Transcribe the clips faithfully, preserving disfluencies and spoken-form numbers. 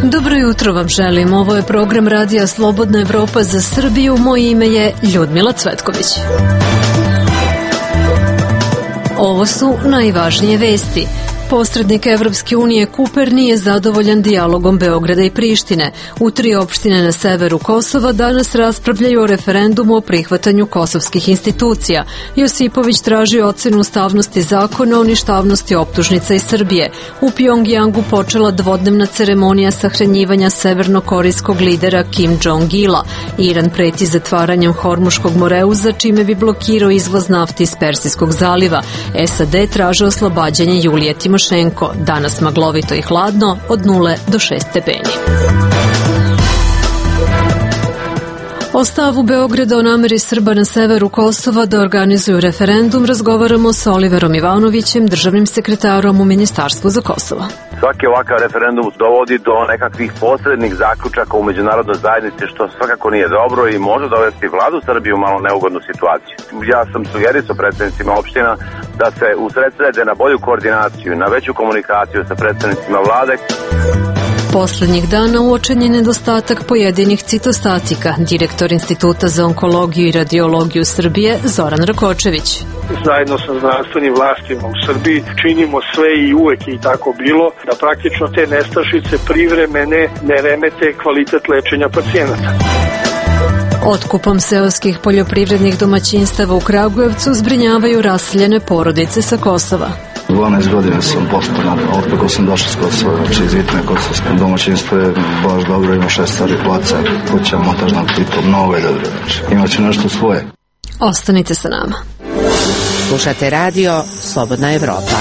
Dobro jutro vam želim. Ovo je program Radija Slobodna Evropa za Srbiju. Moje ime je Ljudmila Cvetković. Ovo su najvažnije vesti. Posrednik Evropske unije Kuper nije zadovoljan dijalogom Beograda i Prištine. U tri opštine na severu Kosova danas raspravljaju o referendumu o prihvatanju kosovskih institucija. Josipović traži ocenu ustavnosti zakona o ništavnosti optužnica iz Srbije. U Pjongjangu počela dvodnevna ceremonija sahranjivanja severnokorejskog lidera Kim Jong-ila. Iran preti zatvaranjem Hormuškog moreuza, čime bi blokirao izvoz nafte iz Persijskog zaliva. S A D traže oslobađanje Julije Timošenko. Danas maglovito i hladno od nule do šest stepeni. O stavu Beograda o nameri Srba na severu Kosova da organizuju referendum razgovaramo sa Oliverom Ivanovićem, državnim sekretarom u Ministarstvu za Kosovo. Svaki ovakav referendum dovodi do nekakvih posrednih zaključaka u međunarodnoj zajednici, što svakako nije dobro i može dovesti vladu Srbiju u malo neugodnu situaciju. Ja sam sugerisao predstavnicima opština da se usredsrede na bolju koordinaciju, na veću komunikaciju sa predstavnicima vlade. Poslednjih dana uočen je nedostatak pojedinih citostatika. Direktor Instituta za onkologiju i radiologiju Srbije Zoran Rakočević. Zajedno sa znanstvenim vlastima u Srbiji činimo sve i uvek je i tako bilo da praktično te nestašice privremene ne remete kvalitet lečenja pacijenata. Otkupom seoskih poljoprivrednih domaćinstava u Kragujevcu zbrinjavaju raseljene porodice sa Kosova. dvanaest godina sam postojan, od kako sam došao s Kosova, znači iz Vitne Kosovske. Domaćinstvo je baš dobro, ima šest stari placa, kuća, montažna plitom, mnogo je dobro, znači imaće nešto svoje. Ostanite sa nama. Slušate radio Slobodna Evropa.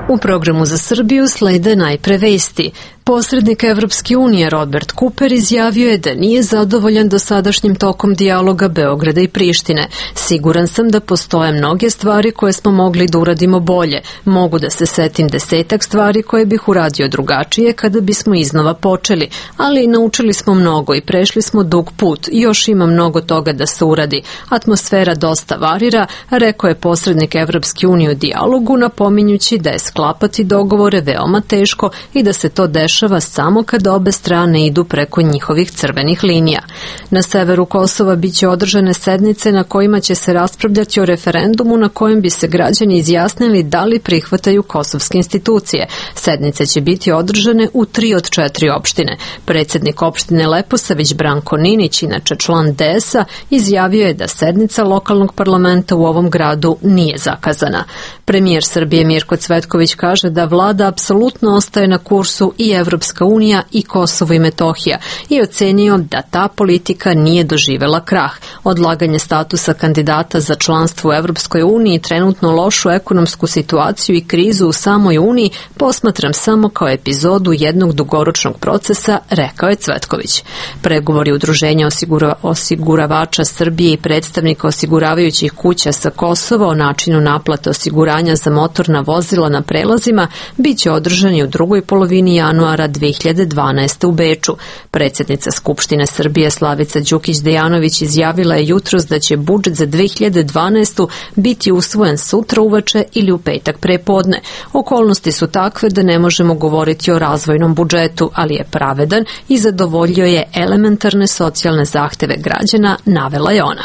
U programu za Srbiju slede najpre vesti. Posrednik Evropske unije Robert Kuper izjavio je da nije zadovoljan dosadašnjim tokom dijaloga Beograda i Prištine. Siguran sam da postoje mnoge stvari koje smo mogli da uradimo bolje. Mogu da se setim desetak stvari koje bih uradio drugačije kada bismo iznova počeli, ali naučili smo mnogo i prešli smo dug put i još ima mnogo toga da se uradi. Atmosfera dosta varira, rekao je posrednik Evropske unije u dijalogu, napominjući da je sklapati dogovore veoma teško i da se to dešava samo kada obe strane idu preko njihovih crvenih linija. Na severu Kosova biće održane sednice na kojima će se raspravljati o referendumu na kojem bi se građani izjasnili da li prihvataju kosovske institucije. Sednice će biti održane u tri od četiri opštine. Predsednik opštine Leposavić Branko Ninić, inače član D S A, izjavio je da sednica lokalnog parlamenta u ovom gradu nije zakazana. Premijer Srbije Mirko Cvetković kaže da vlada apsolutno ostaje na kursu i Evropska unija i Kosovo i Metohija i ocenio da ta politika nije doživela krah. Odlaganje statusa kandidata za članstvo u Evropskoj uniji, trenutno lošu ekonomsku situaciju i krizu u samoj uniji posmatram samo kao epizodu jednog dugoročnog procesa, rekao je Cvetković. Pregovori Udruženja osigura, osiguravača Srbije i predstavnika osiguravajućih kuća sa Kosova o načinu naplate osiguranja za motorna vozila na prelazima biće održani u drugoj polovini januara dve hiljade dvanaeste. u Beču. Predsjednica Skupštine Srbije Slavica Đukić-Dejanović izjavila je jutros da će budžet za dve hiljade dvanaestu. biti usvojen sutra uveče ili u petak prepodne. Okolnosti su takve da ne možemo govoriti o razvojnom budžetu, ali je pravedan i zadovoljio je elementarne socijalne zahteve građana, navela je ona.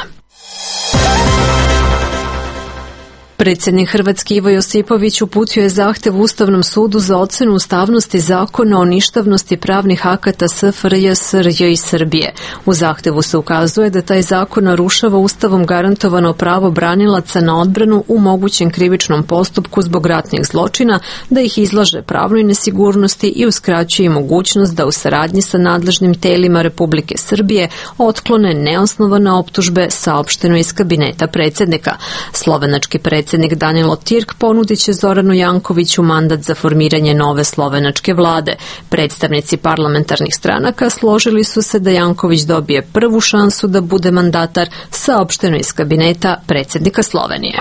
Predsjednik Hrvatske Ivo Josipović uputio je zahtev Ustavnom sudu za ocenu ustavnosti zakona o ništavnosti pravnih akata S F R J, S R J i Srbije. U zahtevu se ukazuje da taj zakon narušava Ustavom garantovano pravo branilaca na odbranu u mogućem krivičnom postupku zbog ratnih zločina, da ih izlaže pravnoj nesigurnosti i uskraćuje mogućnost da u saradnji sa nadležnim telima Republike Srbije otklone neosnovane optužbe, saopšteno iz kabineta predsjednika. Slovenački predsjednik Predsjednik Danilo Tirk ponudit će Zoranu Jankoviću mandat za formiranje nove slovenačke vlade. Predstavnici parlamentarnih stranaka složili su se da Janković dobije prvu šansu da bude mandatar, saopšteno iz kabineta predsjednika Slovenije.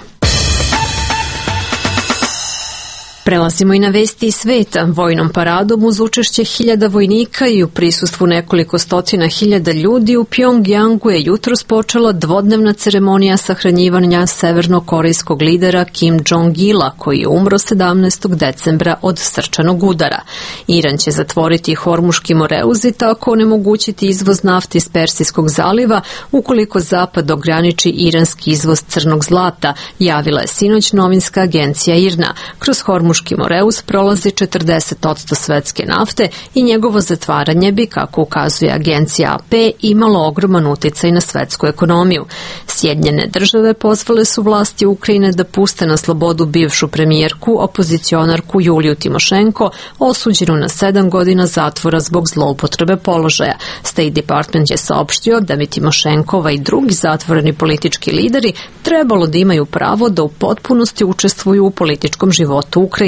Prelazimo i na vesti iz sveta. Vojnom paradom uz učešće hiljada vojnika i u prisustvu nekoliko stotina hiljada ljudi u Pjongjangu je jutros počela dvodnevna ceremonija sahranjivanja severnokorejskog lidera Kim Jong-ila, koji je umro sedamnaestog decembra od srčanog udara. Iran će zatvoriti Hormuški moreuz i tako onemogućiti izvoz nafte iz Persijskog zaliva ukoliko Zapad ograniči iranski izvoz crnog zlata, javila je sinoć novinska agencija I R N A. Kroz Hormuški moreuz prolazi četrdeset posto svetske nafte i njegovo zatvaranje bi, kako ukazuje agencija A P, imalo ogroman uticaj na svetsku ekonomiju. Sjedinjene države pozvale su vlasti Ukrajine da puste na slobodu bivšu premijerku, opozicionarku Juliju Timošenko, osuđenu na sedam godina zatvora zbog zloupotrebe položaja. State Department je saopštio da bi Timošenkova i drugi zatvoreni politički lideri trebalo da imaju pravo da u potpunosti učestvuju u političkom životu Ukrajine.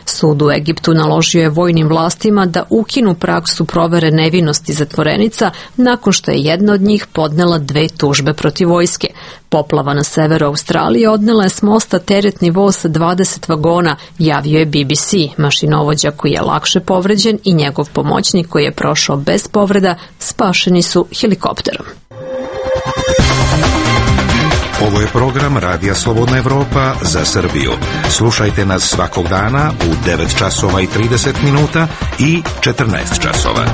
Sud u Egiptu naložio je vojnim vlastima da ukinu praksu provere nevinosti zatvorenica nakon što je jedna od njih podnela dve tužbe protiv vojske. Poplava na severu Australije odnela je s mosta teretni voz sa dvadeset vagona, javio je B B C. Mašinovođa koji je lakše povređen i njegov pomoćnik koji je prošao bez povreda spašeni su helikopterom. Ovo je program Radija Slobodna Evropa za Srbiju. Slušajte nas svakog dana u devet časova i trideset minuta i četrnaest časova.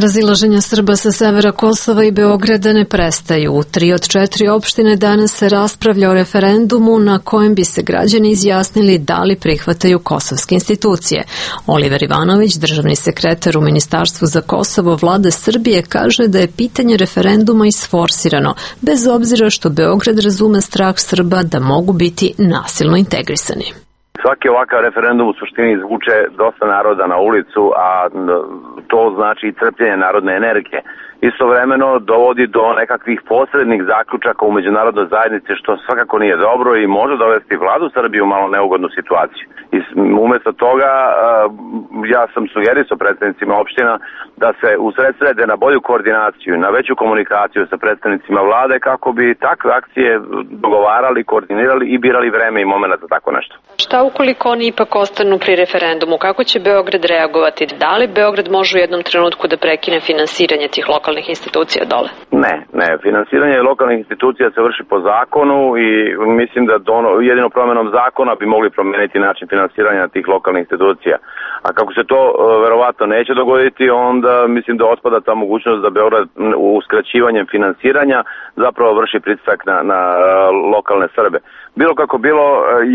Razilaženja Srba sa severa Kosova i Beograda ne prestaju. U tri od četiri opštine danas se raspravlja o referendumu na kojem bi se građani izjasnili da li prihvataju kosovske institucije. Oliver Ivanović, državni sekretar u Ministarstvu za Kosovo Vlade Srbije, kaže da je pitanje referenduma isforsirano, bez obzira što Beograd razume strah Srba da mogu biti nasilno integrisani. Svaki ovakav referendum u suštini izvuče dosta naroda na ulicu, a to znači i crpljenje narodne energije. Istovremeno dovodi do nekakvih posrednih zaključaka u međunarodnoj zajednici, što svakako nije dobro i može dovesti vladu Srbije u malo neugodnu situaciju. I umjesto toga ja sam sugerisao predstavnicima opština da se usredsrede na bolju koordinaciju, na veću komunikaciju sa predstavnicima vlade kako bi takve akcije dogovarali, koordinirali i birali vreme i momenta za tako nešto. Šta ukoliko oni ipak ostanu pri referendumu? Kako će Beograd reagovati? Da li Beograd može u jednom trenutku da prekine finansiranje tih lokalnih institucija dole? Ne, ne. Finansiranje lokalnih institucija se vrši po zakonu i mislim da dono, jedino promjenom zakona bi mogli promijeniti način finansiranja tih lokalnih institucija. A kako se to verovatno neće dogoditi, onda mislim da otpada ta mogućnost da Beograd uskraćivanjem finansiranja zapravo vrši pritisak na, na lokalne Srbe. Bilo kako bilo,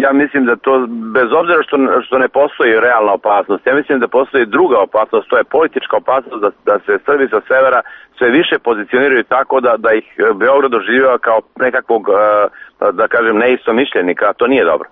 ja mislim da to, bez obzira što, što ne postoji realna opasnost, ja mislim da postoji druga opasnost, to je politička opasnost da, da se Srbi sa severa sve više pozicioniraju tako da, da ih Beograd doživljava kao nekakvog, da kažem, neistomišljenika, a to nije dobro.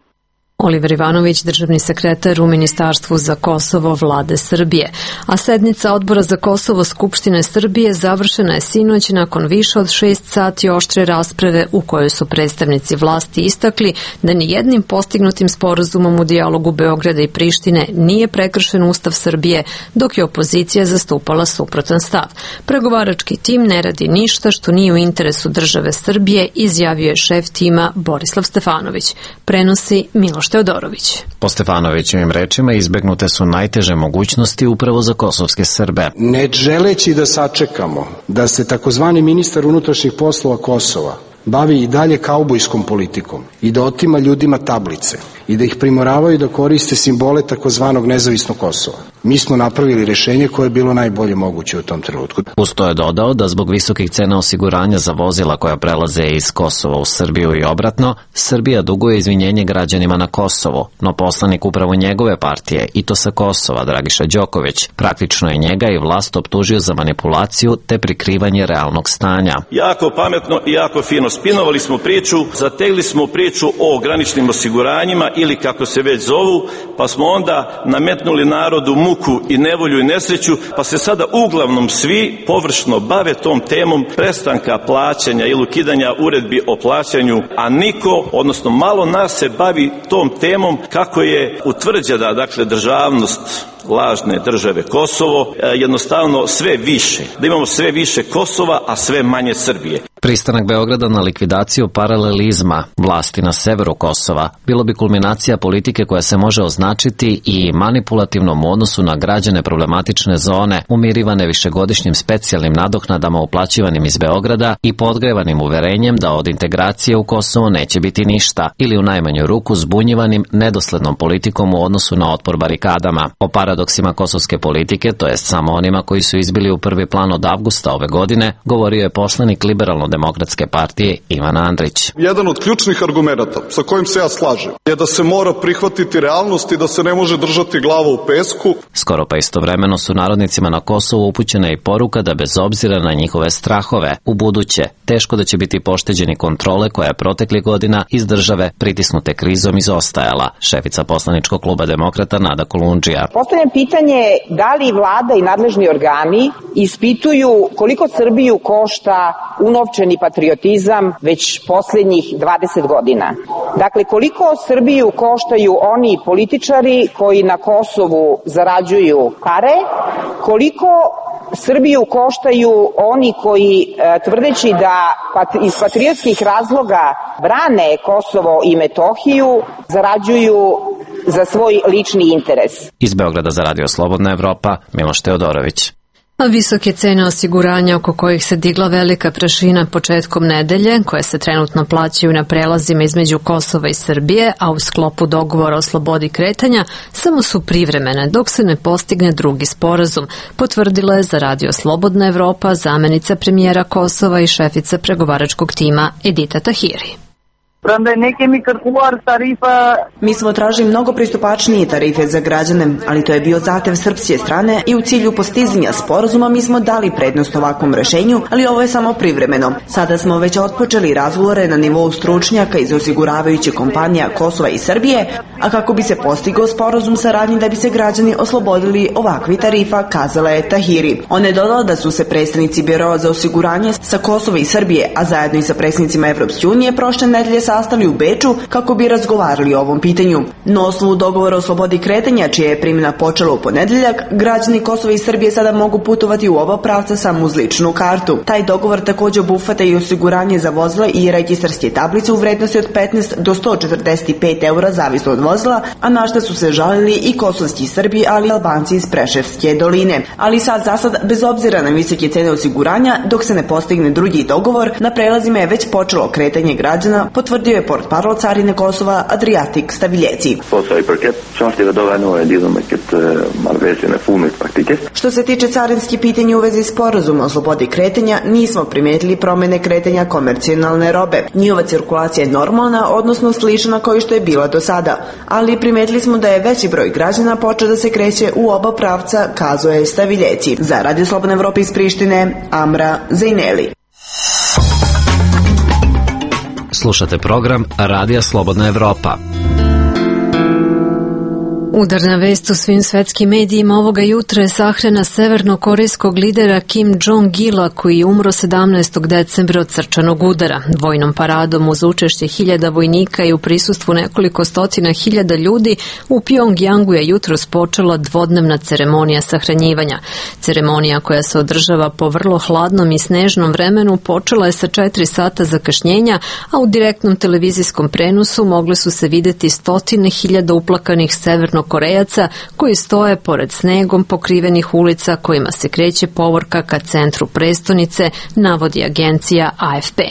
Oliver Ivanović, državni sekretar u Ministarstvu za Kosovo Vlade Srbije. A sednica Odbora za Kosovo Skupštine Srbije završena je sinoć nakon više od šest sati oštre rasprave u kojoj su predstavnici vlasti istakli da ni jednim postignutim sporazumom u dijalogu Beograda i Prištine nije prekršen Ustav Srbije, dok je opozicija zastupala suprotan stav. Pregovarački tim ne radi ništa što nije u interesu države Srbije, izjavio je šef tima Borislav Stefanović. Prenosi Miloš Teodorović. Po Stefanovićevim rečima izbegnute su najteže mogućnosti upravo za kosovske Srbe. Ne želeći da sačekamo da se takozvani ministar unutrašnjih poslova Kosova bavi i dalje kaubojskom politikom i da otima ljudima tablice i da ih primoravaju da koriste simbole takozvanog nezavisnog Kosova. Mi smo napravili rešenje koje je bilo najbolje moguće u tom trenutku. Uz to je dodao da zbog visokih cena osiguranja za vozila koja prelaze iz Kosova u Srbiju i obratno, Srbija duguje izvinjenje građanima na Kosovo, no poslanik upravo njegove partije, i to sa Kosova, Dragiša Đoković, praktično je njega i vlast optužio za manipulaciju te prikrivanje realnog stanja. Jako pametno i jako fino spinovali smo priču, zategli smo priču o graničnim osiguranjima ili kako se već zovu, pa smo onda nametnuli narodu muku i nevolju i nesreću, pa se sada uglavnom svi površno bave tom temom prestanka plaćanja ili ukidanja uredbi o plaćanju, a niko, odnosno malo nas se bavi tom temom kako je utvrđena, dakle, državnost lažne države Kosovo, jednostavno sve više, da imamo sve više Kosova, a sve manje Srbije. Pristanak Beograda na likvidaciju paralelizma vlasti na severu Kosova bilo bi kulminacija politike koja se može označiti i manipulativnom u odnosu na građane problematične zone, umirivane višegodišnjim specijalnim nadoknadama uplaćivanim iz Beograda i podgrevanim uverenjem da od integracije u Kosovo neće biti ništa, ili u najmanju ruku zbunjivanim nedoslednom politikom u odnosu na otpor barikadama. O paradoksima kosovske politike, to jest samo onima koji su izbili u prvi plan od avgusta ove godine, govorio je poslanik Liberalno-demokratske partije Ivan Andrić. Jedan od ključnih argumenata sa kojim se ja slažem je da se mora prihvatiti realnost i da se ne može držati glava u pesku. Skoro pa istovremeno su narodnicima na Kosovu upućena i poruka da bez obzira na njihove strahove, u buduće teško da će biti pošteđeni kontrole koja je proteklih godina iz države pritisnute krizom izostajala. Šefica poslaničkog kluba Demokrata Nada Kolundžija. Postavljam pitanje da li vlada i nadležni organi ispituju koliko Srbiju košta unovčeni patriotizam već posljednjih dvadeset godina. Dakle, koliko Srbiju koštaju oni političari koji na Kosovu zarađuju pare, koliko Srbiju koštaju oni koji, tvrdeći da iz patriotskih razloga brane Kosovo i Metohiju, zarađuju za svoj lični interes. Iz Beograda za Radio Slobodna Evropa, Miloš Teodorović. A visoke cene osiguranja oko kojih se digla velika prašina početkom nedelje, koje se trenutno plaćaju na prelazima između Kosova i Srbije, a u sklopu dogovora o slobodi kretanja, samo su privremene dok se ne postigne drugi sporazum, potvrdila je za Radio Slobodna Evropa zamenica premijera Kosova i šefica pregovaračkog tima Edita Tahiri. Mi smo tražili mnogo pristupačnije tarife za građane, ali to je bio zahtev srpske strane i u cilju postizanja sporazuma mi smo dali prednost ovakvom rešenju, ali ovo je samo privremeno. Sada smo već otpočeli razgovore na nivou stručnjaka iz osiguravajuće kompanija Kosova i Srbije, a kako bi se postigao sporazum saradnje da bi se građani oslobodili ovakvi tarifa, kazala je Tahiri. On je dodala da su se predstavnici Biroa za osiguranje sa Kosova i Srbije, a zajedno i sa predstavnicima Evropske unije prošle nedelje sastali u Beču kako bi razgovarali o ovom pitanju. Na osnovu dogovora o slobodi kretanja, čija je primjena počela u ponedeljak, građani Kosova i Srbije sada mogu putovati u oba pravca samo uz ličnu kartu. Taj dogovor također obuhvata i osiguranje za vozila i registarske tablice u vrednosti od petnaest do sto četrdeset pet eura zavisno od vozila, a na što su se žalili i kosovski Srbi, ali i Albanci iz Preševske doline. Ali sad za sad, bez obzira na visoke cene osiguranja, dok se ne postigne drugi dogovor, na prelazima je već počelo kretanje građana, potvrdio je portparol carine Kosova Adriatik Staviljeci. Što se tiče carinskih pitanja u vezi sporazuma o slobodi kretanja, nismo primetili promene kretanja komercijalne robe. Njihova cirkulacija je normalna, odnosno slična kao što je bila do sada, ali primetili smo da je veći broj građana počeo da se kreće u oba pravca, kazao je Staviljeci. Za Radio Slobodna Evropa iz Prištine, Amra Zejneli. Slušate program Radija Slobodna Evropa. Udarna vest u svim svetskim medijima ovoga jutra je sahrana severnokorejskog lidera Kim Jong-ila, koji je umro sedamnaestog decembra od srčanog udara. Vojnom paradom uz učešće hiljada vojnika i u prisustvu nekoliko stotina hiljada ljudi u Pjongjangu je jutros počela dvodnevna ceremonija sahranjivanja. Ceremonija koja se održava po vrlo hladnom i snežnom vremenu počela je sa četiri sata zakašnjenja, a u direktnom televizijskom prenosu mogle su se videti stotine hiljada uplakanih severno Korejaca koji stoje pored snegom pokrivenih ulica kojima se kreće povorka ka centru prestonice, navodi agencija A F P.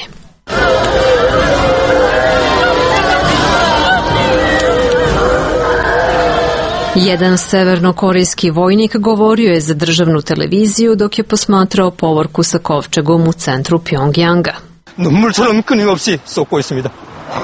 Jedan severnokorejski vojnik govorio je za državnu televiziju dok je posmatrao povorku sa kovčegom u centru Pjongjanga. 눈물처럼 끊임없이 쏟고 있습니다.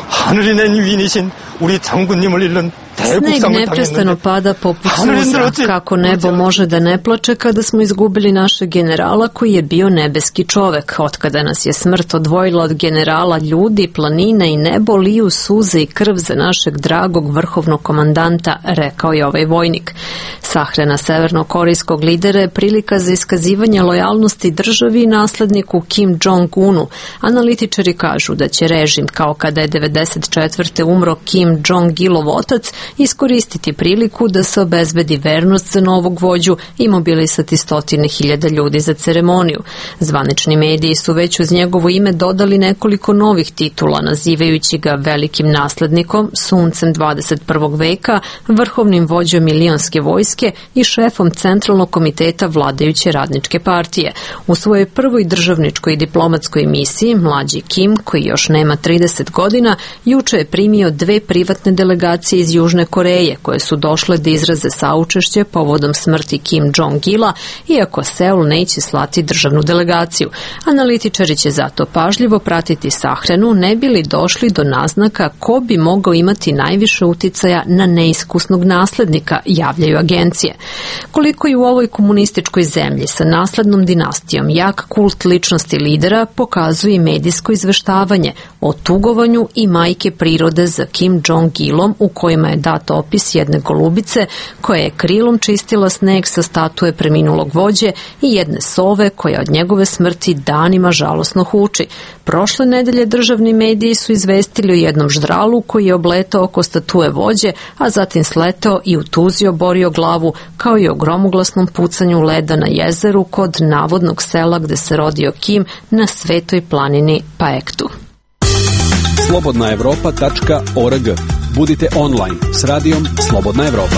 하늘이 낸 위인이신 우리 장군님을 잃는 Sneg neprestano pada poput suza. Kako nebo može da ne plače kada smo izgubili našeg generala koji je bio nebeski čovek. Otkada nas je smrt odvojila od generala, ljudi, planine i nebo liju suze i krv za našeg dragog vrhovnog komandanta, rekao je ovaj vojnik. Sahrana severnokorejskog lidera je prilika za iskazivanje lojalnosti državi i nasledniku Kim Jong-unu. Analitičari kažu da će režim, kao kada je devedeset četvrte umro Kim Jong-ilov otac, iskoristiti priliku da se obezbedi vernost za novog vođu i mobilisati stotine hiljada ljudi za ceremoniju. Zvanični mediji su već uz njegovo ime dodali nekoliko novih titula, nazivajući ga velikim naslednikom, suncem dvadeset prvog veka, vrhovnim vođom milionske vojske i šefom Centralnog komiteta vladajuće radničke partije. U svojoj prvoj državničkoj i diplomatskoj misiji, mlađi Kim, koji još nema trideset godina, juče je primio dve privatne delegacije iz Južne Koreje, koje su došle da izraze saučešće povodom smrti Kim Jong-ila, iako Seul neće slati državnu delegaciju. Analitičari će zato pažljivo pratiti sahranu, ne bi li došli do naznaka ko bi mogao imati najviše uticaja na neiskusnog naslednika, javljaju agencije. Koliko i u ovoj komunističkoj zemlji sa naslednom dinastijom jak kult ličnosti lidera pokazuje i medijsko izveštavanje o tugovanju i majke prirode za Kim Jong-ilom, u kojima je dat opis jedne golubice koja je krilom čistila sneg sa statue preminulog vođe i jedne sove koja od njegove smrti danima žalosno huči. Prošle nedelje državni mediji su izvestili o jednom ždralu koji je obletao oko statue vođe, a zatim sletao i u tuzi oborio glavu, kao i o gromoglasnom pucanju leda na jezeru kod navodnog sela gde se rodio Kim na Svetoj planini Paektu. slobodna evropa tačka org. Budite online s radijom Slobodna Evropa.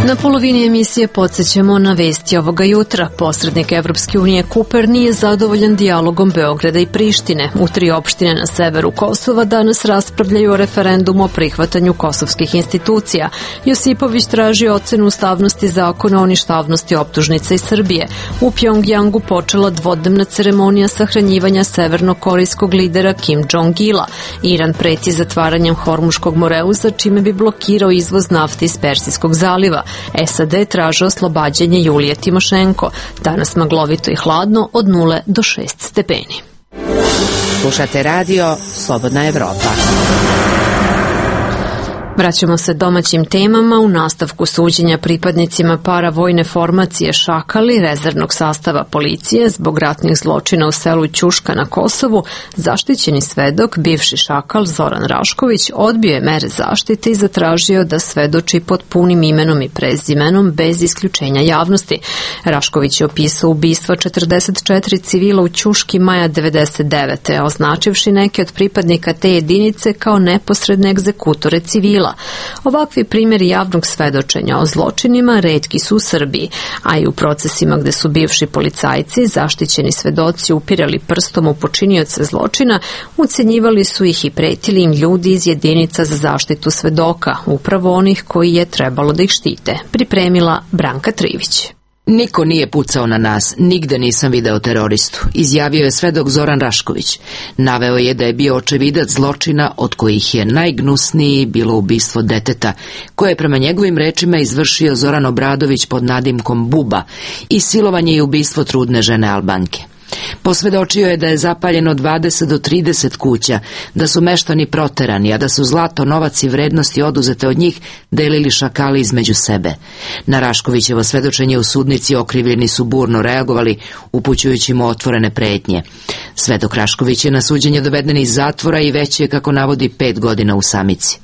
Na polovini emisije podsjećamo na vesti ovoga jutra. Posrednik Evropske unije Kuper nije zadovoljan dijalogom Beograda i Prištine. U tri opštine na severu Kosova danas raspravljaju o referendumu o prihvatanju kosovskih institucija. Josipović traži ocenu ustavnosti zakona o ništavnosti optužnica iz Srbije. U Pjongjangu počela dvodnevna ceremonija sahranjivanja severno-korejskog lidera Kim Jong-ila. Iran preti zatvaranjem Hormuškog moreuza, čime bi blokirao izvoz nafte iz Persijskog zaliva. S A D traže oslobađanje Julije Timošenko. Danas maglovito i hladno od nule do šest stepeni. Slušate radio Slobodna Evropa. Vraćamo se domaćim temama. U nastavku suđenja pripadnicima paravojne formacije Šakali, rezervnog sastava policije, zbog ratnih zločina u selu Ćuška na Kosovu, zaštićeni svedok, bivši Šakal Zoran Rašković, odbio je mere zaštite i zatražio da svedoči pod punim imenom i prezimenom bez isključenja javnosti. Rašković je opisao ubistva četrdeset četiri civila u Ćuški maja devedeset devete. označivši neke od pripadnika te jedinice kao neposredne egzekutore civila. Ovakvi primjeri javnog svedočenja o zločinima retki su u Srbiji, a i u procesima gde su bivši policajci, zaštićeni svedoci, upirali prstom u počinioce zločina, ucenjivali su ih i pretili im ljudi iz jedinica za zaštitu svedoka, upravo onih koji je trebalo da ih štite. Pripremila Branka Trivić. Niko nije pucao na nas, nigde nisam video teroristu, izjavio je svedok Zoran Rašković. Naveo je da je bio očevidac zločina od kojih je najgnusniji bilo ubistvo deteta, koje je prema njegovim rečima izvršio Zoran Obradović pod nadimkom Buba, i silovanje i ubistvo trudne žene Albanke. Posvedočio je da je zapaljeno dvadeset do trideset kuća, da su meštani proterani, a da su zlato, novac i vrednosti oduzete od njih delili šakali između sebe. Na Raškovićevo svedočenje u sudnici okrivljeni su burno reagovali, upućujući mu otvorene pretnje. Svedok Rašković je na suđenje doveden iz zatvora i već je, kako navodi, pet godina u samici.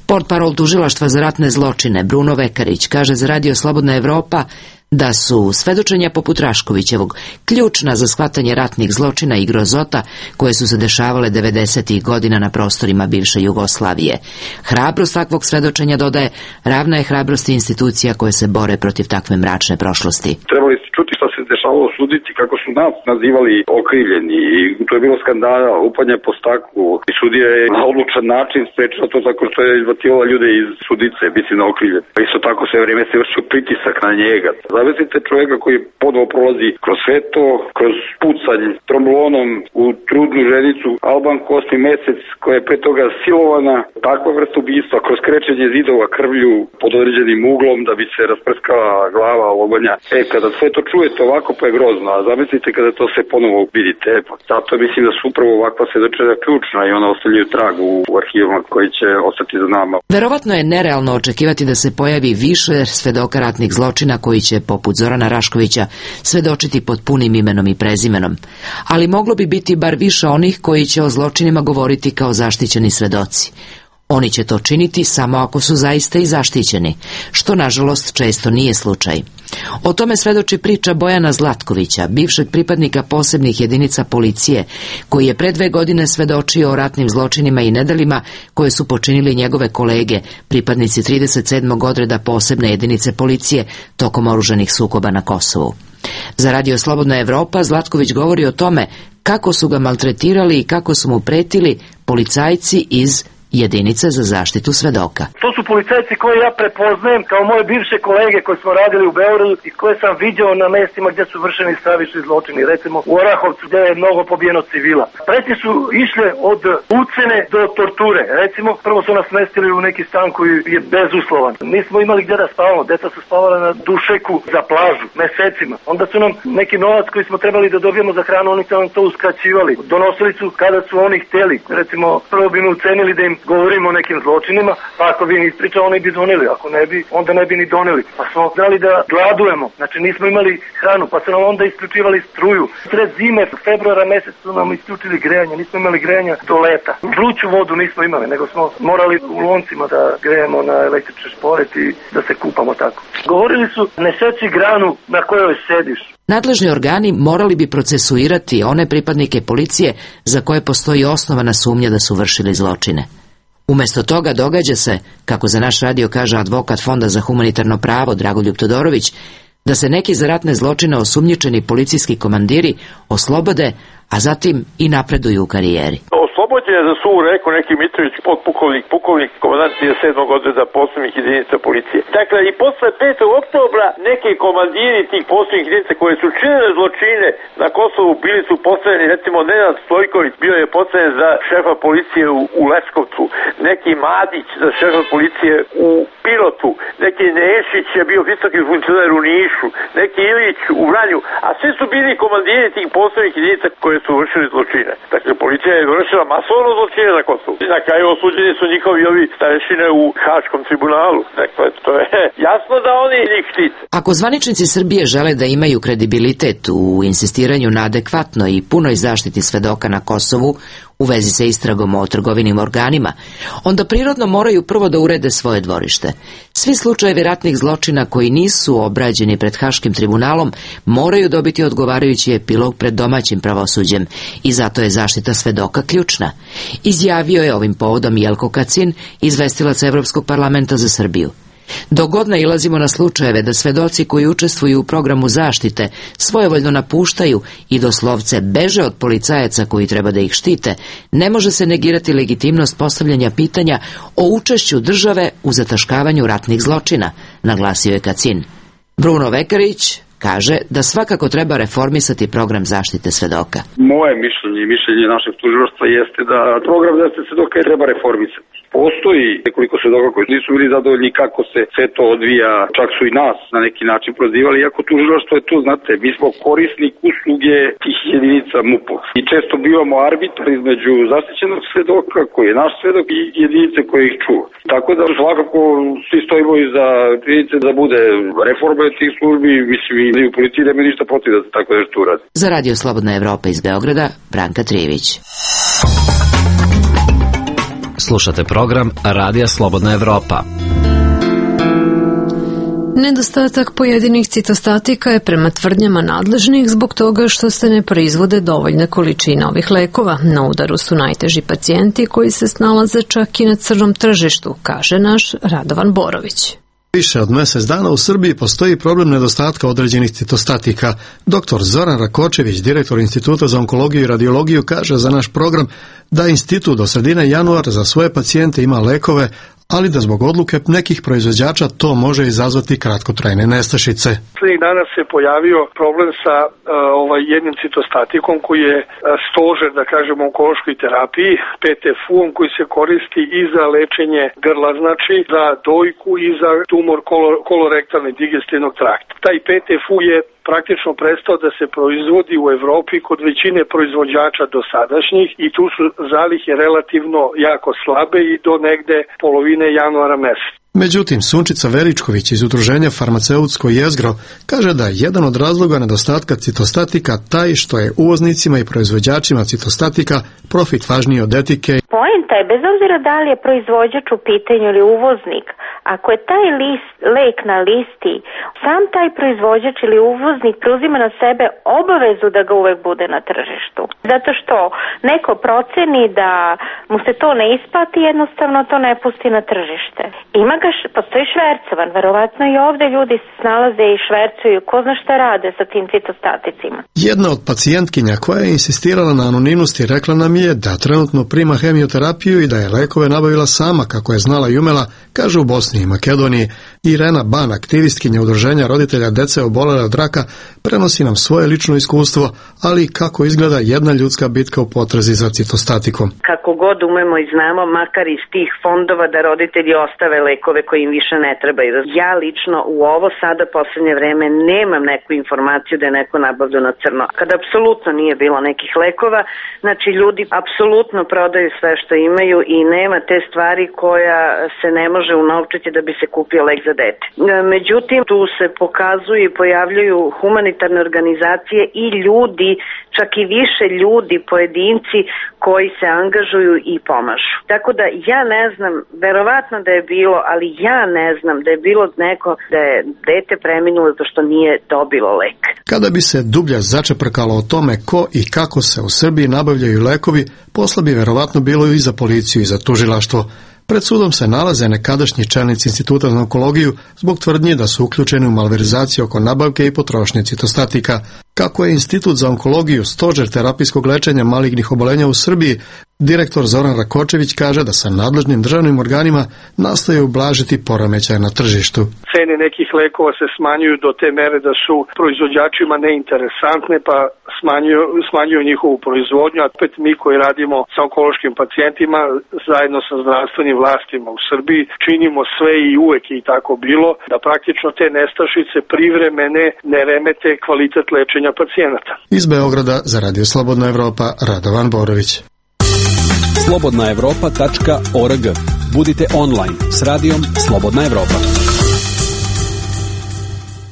Portparol tužilaštva za ratne zločine Bruno Vekarić kaže za radio Slobodna Evropa da su svedočenja poput Raškovićevog ključna za shvatanje ratnih zločina i grozota koje su se dešavale devedesetih godina na prostorima bivše Jugoslavije. Hrabrost takvog svedočenja, dodaje, ravna je hrabrosti institucija koje se bore protiv takve mračne prošlosti. Trebali ste čuti šta se dešavalo u sudnici, kako su nas nazivali okrivljeni, i to je bilo skandala, lupanje po staklu, i sudija je na odlučan način sprečila to tako što je izbacivala ljude iz sudnice, biti na okrivljen. Pa isto tako sve vreme se vršio pritisak na njega. Zavezite čovjeka koji ponovo prolazi kroz sve to, kroz pucanj tromblonom u trudnu ženicu Albanku osmi mesec, koja je pre toga silovana, takva vrsta ubistva, kroz krečenje zidova krvlju pod određenim uglom da bi se rasprskala glava lobanja. E, kada sve to čujete ovako, pa je grozno, a zamislite kada to se ponovo vidite. Zato mislim da su upravo ovakva svedočenja ključna i ona ostavljaju trag u arhivima koji će ostati za nama. Verovatno je nerealno očekivati da se pojavi više svedoka ratnih zločina koji će, poput Zorana Raškovića, svedočiti pod punim imenom i prezimenom. Ali moglo bi biti bar više onih koji će o zločinima govoriti kao zaštićeni svedoci. Oni će to činiti samo ako su zaista i zaštićeni, što nažalost često nije slučaj. O tome svedoči priča Bojana Zlatkovića, bivšeg pripadnika posebnih jedinica policije, koji je pre dve godine svedočio o ratnim zločinima i nedelima koje su počinili njegove kolege, pripadnici trideset sedmog odreda posebne jedinice policije tokom oružanih sukoba na Kosovu. Za Radio Slobodna Evropa Zlatković govori o tome kako su ga maltretirali i kako su mu pretili policajci iz jedinice za zaštitu svedoka. To su policajci koje ja prepoznajem kao moje bivše kolege koji smo radili u Beogradu i koje sam viđao na mestima gdje su vršeni stravični zločini, recimo u Orahovcu gdje je mnogo pobijeno civila. Pretnje su išle od ucene do torture. Recimo, prvo su nas mestili u neki stan koji je bezuslovan. Nismo imali gdje da spavamo, deca su spavala na dušeku za plažu mesecima. Onda su nam neki novac koji smo trebali da dobijemo za hranu, oni su nam to uskraćivali. Donosili su kada su oni htjeli. Recimo, prvo bi mi ucenili da im govorimo o nekim zločinima, pa ako bi ni ispričao, oni bi doneli, ako ne bi, onda ne bi ni doneli. Pa smo znali da gladujemo, znači nismo imali hranu, pa su nam onda isključivali struju. Sred zime, februara mjesec su nam isključili grejanje, nismo imali grejanja do leta. Vruću vodu nismo imali, nego smo morali u loncima da grejemo na električni šporet i da se kupamo tako. Govorili su, ne seći granu na kojoj sediš. Nadležni organi morali bi procesuirati one pripadnike policije za koje postoji osnovana sumnja da su vršili zločine. Umjesto toga događa se, kako za naš radio kaže advokat Fonda za humanitarno pravo Dragoljub Todorović, da se neki za ratne zločine osumnjičeni policijski komandiri oslobode, a zatim i napreduju u karijeri. Oslobođen je za suvu reku neki Mitrović, podpukovnik, pukovnik, komandant trideset sedmog odreda posebnih jedinica policije. Dakle, i posle petog oktobra neki komandiri tih posebnih jedinica koje su činile zločine na Kosovu bili su postavljeni, recimo Nenad Stojković bio je postavljen za šefa policije u, u Leskovcu, neki Madić za šefa policije u Pirotu, neki Nešić je bio visoki funkcioner u Nišu, neki Ilić u Vranju, a svi su bili komandiri tih posebnih jedinica koje su vršili zločine. Dakle, policija je vršila masovno zločine na Kosovu. I na kraju osuđeni su njihovi ovi starešine u Haškom tribunalu. Dakle, to je jasno da oni njih štite. Ako zvaničnici Srbije žele da imaju kredibilitet u insistiranju na adekvatnoj i punoj zaštiti svedoka na Kosovu u vezi sa istragom o trgovinim organima, onda prirodno moraju prvo da urede svoje dvorište. Svi slučajevi ratnih zločina koji nisu obrađeni pred Haškim tribunalom moraju dobiti odgovarajući epilog pred domaćim pravosuđem i zato je zaštita svedoka ključna. Izjavio je ovim povodom Jelko Kacin, izvestilac Evropskog parlamenta za Srbiju. Dok god nailazimo na slučajeve da svedoci koji učestvuju u programu zaštite svojevoljno napuštaju i doslovce beže od policajaca koji treba da ih štite, ne može se negirati legitimnost postavljanja pitanja o učešću države u zataškavanju ratnih zločina, naglasio je Kacin. Bruno Vekarić kaže da svakako treba reformisati program zaštite svedoka. Moje mišljenje i mišljenje našeg tužilaštva jeste da program zaštite svedoka treba reformisati. Postoji nekoliko svedoka koji nisu bili zadovoljni kako se sve to odvija, čak su i nas na neki način prozivali, iako tužilaštvo je tu, znate, mi smo korisnik usluge tih jedinica M U P-a. I često bivamo arbitar između zaštićenog svedoka, koji je naš svedok, i jedinice koje ih čuva. Tako da svakako svi stojimo i za jedinice da bude reforma tih službi, mislim i u policiji nema ništa protiv da se tako nešto uradi. Za Radio Slobodna Evropa iz Beograda, Branka Trijević. Slušate program Radija Slobodna Evropa. Nedostatak pojedinih citostatika je prema tvrdnjama nadležnih zbog toga što se ne proizvode dovoljne količine ovih lekova. Na udaru su najteži pacijenti koji se snalaze čak i na crnom tržištu, kaže naš Radovan Borović. Više od mjesec dana u Srbiji postoji problem nedostatka određenih citostatika. Doktor Zoran Rakočević, direktor Instituta za onkologiju i radiologiju, kaže za naš program da institut do sredine januara za svoje pacijente ima lekove, ali da zbog odluke nekih proizvođača to može izazvati kratkotrajne nestašice. Slednjih dana se pojavio problem sa uh, ovaj jednim citostatikom koji je uh, stožer, da kažemo, u onkološkoj terapiji, P T F U-om, koji se koristi i za lečenje grla, znači za dojku i za tumor kolor, kolorektalne digestivnog trakta. Taj P T F U je praktično prestao da se proizvodi u Evropi kod većine proizvođača dosadašnjih i tu su zalihe relativno jako slabe i do negde polovine januara meseca. Međutim, Sunčica Veričković iz udruženja Farmaceutsko jezgro kaže da je jedan od razloga nedostatka citostatika taj što je uvoznicima i proizvođačima citostatika profit važniji od etike. Poenta je, bez obzira da li je proizvođač u pitanju ili uvoznik, ako je taj list, lek na listi, sam taj proizvođač ili uvoznik preuzima na sebe obavezu da ga uvek bude na tržištu. Zato što neko proceni da mu se to ne isplati, jednostavno to ne pusti na tržište. Ima ga, postoji švercovan, verovatno i ovde ljudi se snalaze i švercuju, ko zna šta rade sa tim citostaticima. Jedna od pacijentkinja koja je insistirala na anonimnosti rekla nam je da trenutno prima hemioterapiju i da je lekove nabavila sama kako je znala i umela, kaže u Bosni i Makedoniji. Irena Ban, aktivistkinja udruženja roditelja dece obolele od raka, prenosi nam svoje lično iskustvo, ali kako izgleda jedna ljudska bitka u potrazi za citostatikom. Kako god umemo i znamo, makar iz tih fondova da roditelji ostave lekove koji im više ne trebaju. Ja lično u ovo sada poslednje vreme nemam neku informaciju da je neko nabavljao na crno. Kada apsolutno nije bilo nekih lekova, znači ljudi apsolutno prodaju sve što imaju i nema te stvari koja se ne može unovčiti da bi se kupio lek za dete. Međutim, tu se pokazuju i pojavljuju humanitarne organizacije i ljudi, čak i više ljudi, pojedinci koji se angažuju i pomažu. Tako da ja ne znam, verovatno da je bilo, ali ja ne znam da je bilo neko da je dete preminulo zato što nije dobilo lek. Kada bi se dublje začeprkalo o tome ko i kako se u Srbiji nabavljaju lekovi, posla bi verovatno bilo i za policiju i za tužilaštvo. Pred sudom se nalaze nekadašnji čelnici Instituta za onkologiju zbog tvrdnji da su uključeni u malverizaciju oko nabavke i potrošnje citostatika. Kako je Institut za onkologiju stožer terapijskog lečenja malignih obolenja u Srbiji, direktor Zoran Rakočević kaže da sa nadležnim državnim organima nastoje ublažiti poremećaje na tržištu. Cene nekih lekova se smanjuju do te mere da su proizvođačima neinteresantne, pa smanjuju, smanjuju njihovu proizvodnju, a opet mi koji radimo sa onkološkim pacijentima zajedno sa zdravstvenim vlastima u Srbiji činimo sve i uvek je i tako bilo da praktično te nestašice privremene ne remete kvalitet lečenja pacijenata. Iz Beograda za Radio Slobodna Evropa, Radovan Borović. slobodna evropa tačka org. Budite online s radijom Slobodna Evropa.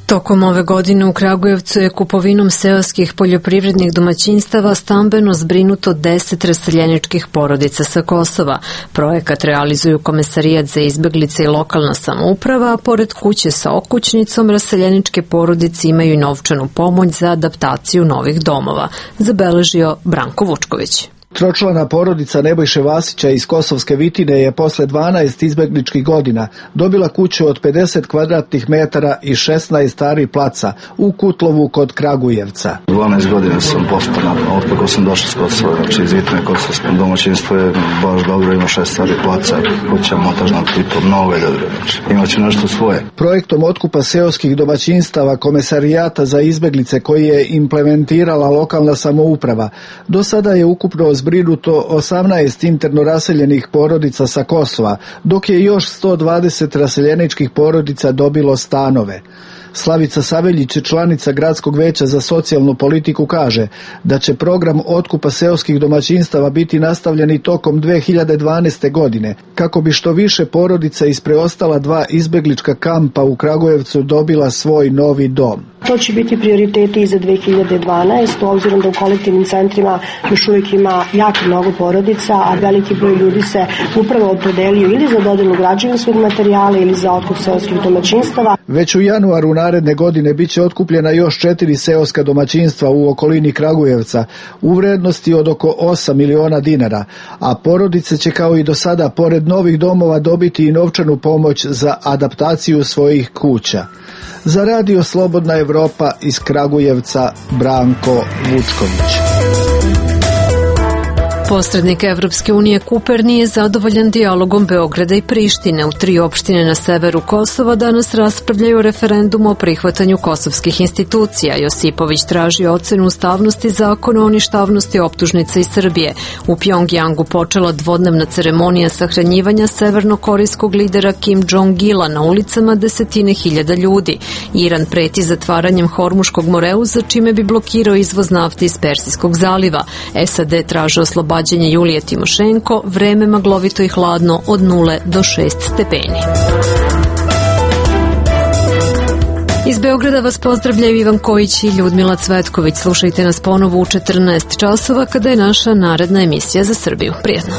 Tokom ove godine u Kragujevcu je kupovinom seoskih poljoprivrednih domaćinstava stambeno zbrinuto deset raseljeničkih porodica sa Kosova. Projekat realizuju Komesarijat za izbeglice i lokalna samouprava, a pored kuće sa okućnicom raseljeničke porodice imaju i novčanu pomoć za adaptaciju novih domova, zabeležio Branko Vučković. Tročlana porodica Nebojše Vasića iz Kosovske Vitine je posle dvanaest izbegličkih godina dobila kuću od pedeset kvadratnih metara i šesnaest stari placa u Kutlovu kod Kragujevca. dvanaest godina sam postaran, od kako sam došao s Kosova, znači iz Vitne kosovsko domaćinstvo je baš dobro, ima šest stari placa, kuća montažna tipa, nove dobro, znači imaće nešto svoje. Projektom otkupa seoskih domaćinstava Komesarijata za izbeglice koji je implementirala lokalna samouprava, do sada je ukupno zbrinuto osamnaest interno raseljenih porodica sa Kosova, dok je još sto dvadeset raseljeničkih porodica dobilo stanove. Slavica Saveljić, članica Gradskog veća za socijalnu politiku, kaže da će program otkupa seoskih domaćinstava biti nastavljen i tokom dve hiljade dvanaeste. godine, kako bi što više porodica iz preostala dva izbeglička kampa u Kragujevcu dobila svoj novi dom. To će biti prioriteti i za dve hiljade dvanaestu. obzirom da u kolektivnim centrima još uvijek ima jako mnogo porodica, a veliki broj ljudi se upravo opredelio ili za dodelu građevinskog materijala ili za otkup seoskih domaćinstava. Već u januaru naredne godine biće otkupljena još četiri seoska domaćinstva u okolini Kragujevca u vrednosti od oko osam miliona dinara, a porodice će kao i do sada pored novih domova dobiti i novčanu pomoć za adaptaciju svojih kuća. Za Radio Slobodna Evropa iz Kragujevca, Branko Vučković. Posrednik Evropske unije Kuper nije zadovoljan dijalogom Beograda i Prištine. U tri opštine na severu Kosova danas raspravljaju referendum o prihvatanju kosovskih institucija. Josipović traži ocenu ustavnosti zakona o ništavnosti optužnica iz Srbije. U Pjongjangu počela dvodnevna ceremonija sahranjivanja severnokorejskog lidera Kim Jong-ila, na ulicama desetine hiljada ljudi. Iran preti zatvaranjem Hormuškog moreuza, čime bi blokirao izvoz nafte iz Persijskog zaliva. S A D traže oslobađanje Julije Timošenko, vreme maglovito i hladno od nule do šest stepeni. Iz Beograda vas pozdravljaju Ivan Kojić i Ljudmila Cvetković. Slušajte nas ponovo u četrnaest časova kada je naša naredna emisija za Srbiju. Prijetno.